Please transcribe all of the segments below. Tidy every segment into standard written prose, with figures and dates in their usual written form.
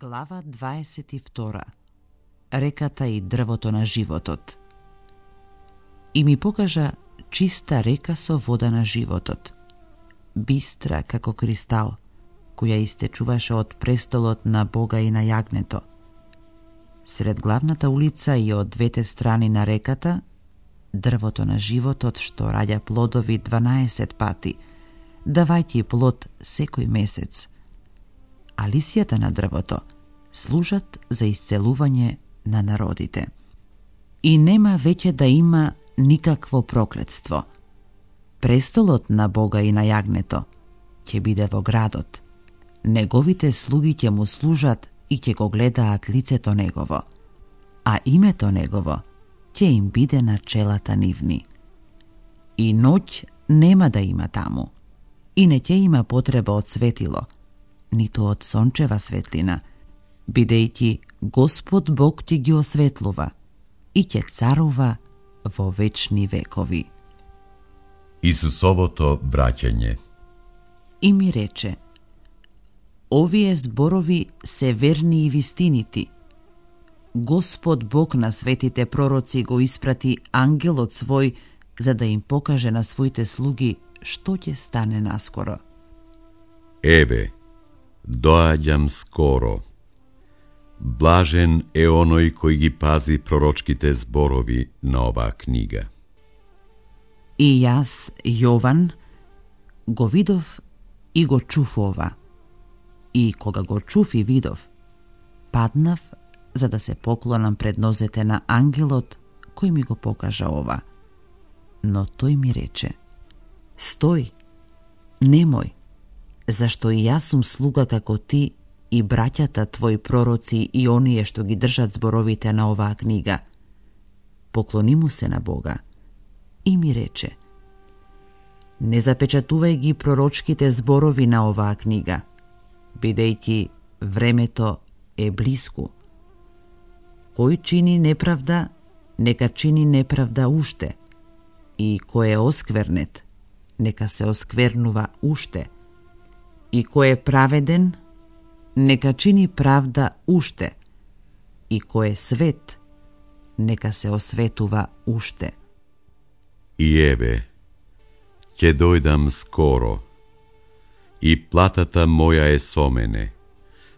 Глава 22. Реката и дрвото на животот. И ми покажа чиста река со вода на животот, бистра како кристал, која истечуваше од престолот на Бога и на јагнето. Сред главната улица и од двете страни на реката, дрвото на животот што раѓа плодови 12 пати, давајќи плод секој месец. А лисјата на дрвото служат за исцелување на народите. И нема веќе да има никакво проклетство. Престолот на Бога и на јагнето ќе биде во градот. Неговите слуги ќе му служат и ќе го гледаат лицето негово, а името негово ќе им биде на челата нивни. И ноќ нема да има таму, и не ќе има потреба од светило, ниту од сончева светлина, бидејќи Господ Бог ќе ги осветлува и ќе царува во вечни векови. Исусовото враќање. И ми рече: овие зборови се верни и вистинити. Господ Бог на светите пророци го испрати ангелот свој за да им покаже на своите слуги што ќе стане наскоро. Еве, доаѓам скоро. Блажен е оној кој ги пази пророчките зборови на оваа книга. И јас, Јован, го видов и го чув ова. И кога го чув и видов, паднав за да се поклонам пред нозете на ангелот кој ми го покажа ова. Но тој ми рече: стој, немој, зашто и јас сум слуга како ти и браќата твои пророци и оние што ги држат зборовите на оваа книга. Поклони му се на Бога. И ми рече: не запечатувај ги пророчките зборови на оваа книга, бидејќи времето е блиску. Кој чини неправда, нека чини неправда уште, и кој е осквернет, нека се осквернува уште, и кој е праведен, нека чини правда уште, и кој е свет, нека се осветува уште. И еве, ќе дојдам скоро, и платата моја е со мене,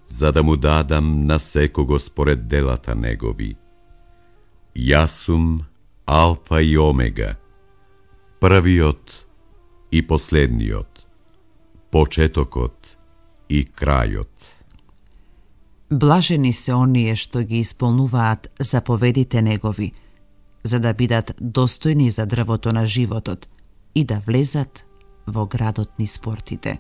за да му дадам на секого според делата негови. Јас сум Алфа и Омега, првиот и последниот, почетокот и крајот. Блажени се оние што ги исполнуваат заповедите негови, за да бидат достојни за дрвото на животот и да влезат во градот низ портите.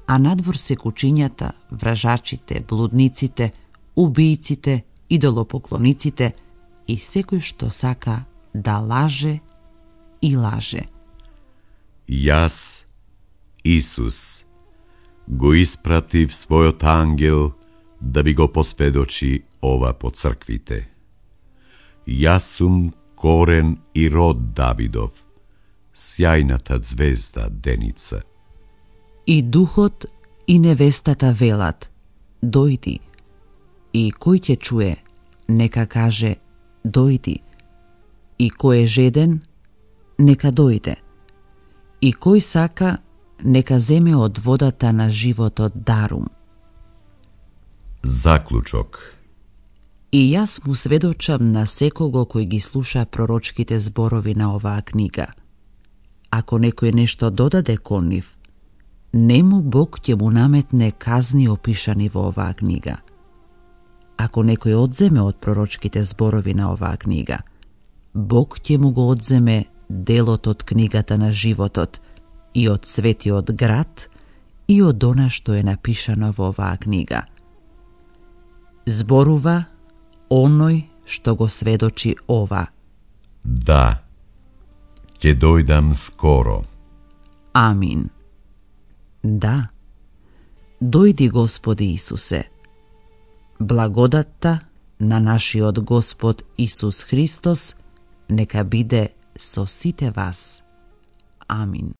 А надвор се кучињата, вражачите, блудниците, убијците, идолопоклониците и секој што сака да лаже и лаже. Јас, Исус, го испратив својот ангел да ви го посведочи ова по црквите. Јас сум корен и род Давидов, сјајната звезда деница. И духот и невестата велат: дојди. И кој ќе чуе, нека каже: дојди. И кој е жеден, нека дојде. И кој сака, нека земе од водата на животот дарум. Заклучок. И јас му сведочам на секого кој ги слуша пророчките зборови на оваа книга. Ако некој нешто додаде кон нив, нему Бог ќе му наметне казни опишани во оваа книга. Ако некој одземе од пророчките зборови на оваа книга, Бог ќе му го одземе делот од книгата на животот и од светиот град и од она што е напишано во оваа книга. Зборува оној што го сведочи ова. Да, ќе дојдам скоро. Амин. Да, дојди Господи Исусе. Благодатта на нашиот Господ Исус Христос нека биде со сите вас. Амин.